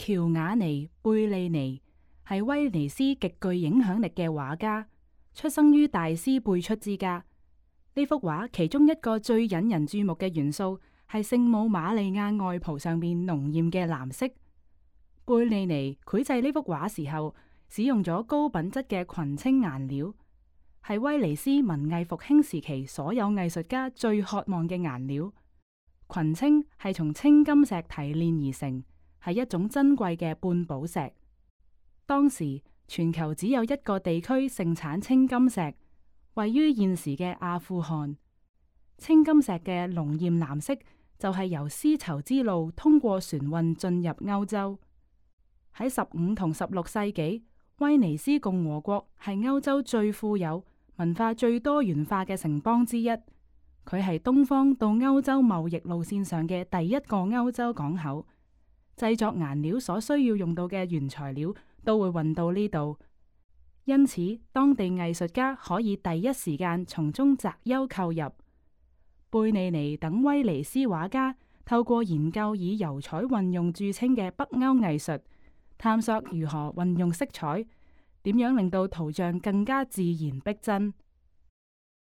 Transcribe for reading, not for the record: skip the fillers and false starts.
喬瓦尼·貝利尼係威尼斯極具影響力嘅畫家，出生於大師輩出之家。呢幅畫其中一個最引人注目嘅元素係聖母瑪利亞外袍上面濃艷嘅藍色。貝利尼繪製呢幅畫時候，使用咗高品質嘅群青顏料，係威尼斯文藝復興時期所有藝術家最渴望嘅顏料。群青係從青金石提煉而成，係一種珍貴嘅半寶石。當時全球只有一個地區盛產青金石，位於現時嘅阿富汗。青金石嘅濃艷藍色就係由絲綢之路通過船運進入歐洲。喺15同16世紀，威尼斯共和國係歐洲最富有、文化最多元化嘅城邦之一。佢係東方到歐洲貿易路線上嘅第一個歐洲港口。製作顏料所需要用到嘅原材料都會運到呢度，因此當地藝術家可以第一時間從中擇優購入。貝利尼等威尼斯畫家透過研究以油彩運用著稱嘅北歐藝術，探索如何運用色彩，點樣令到圖像更加自然逼真。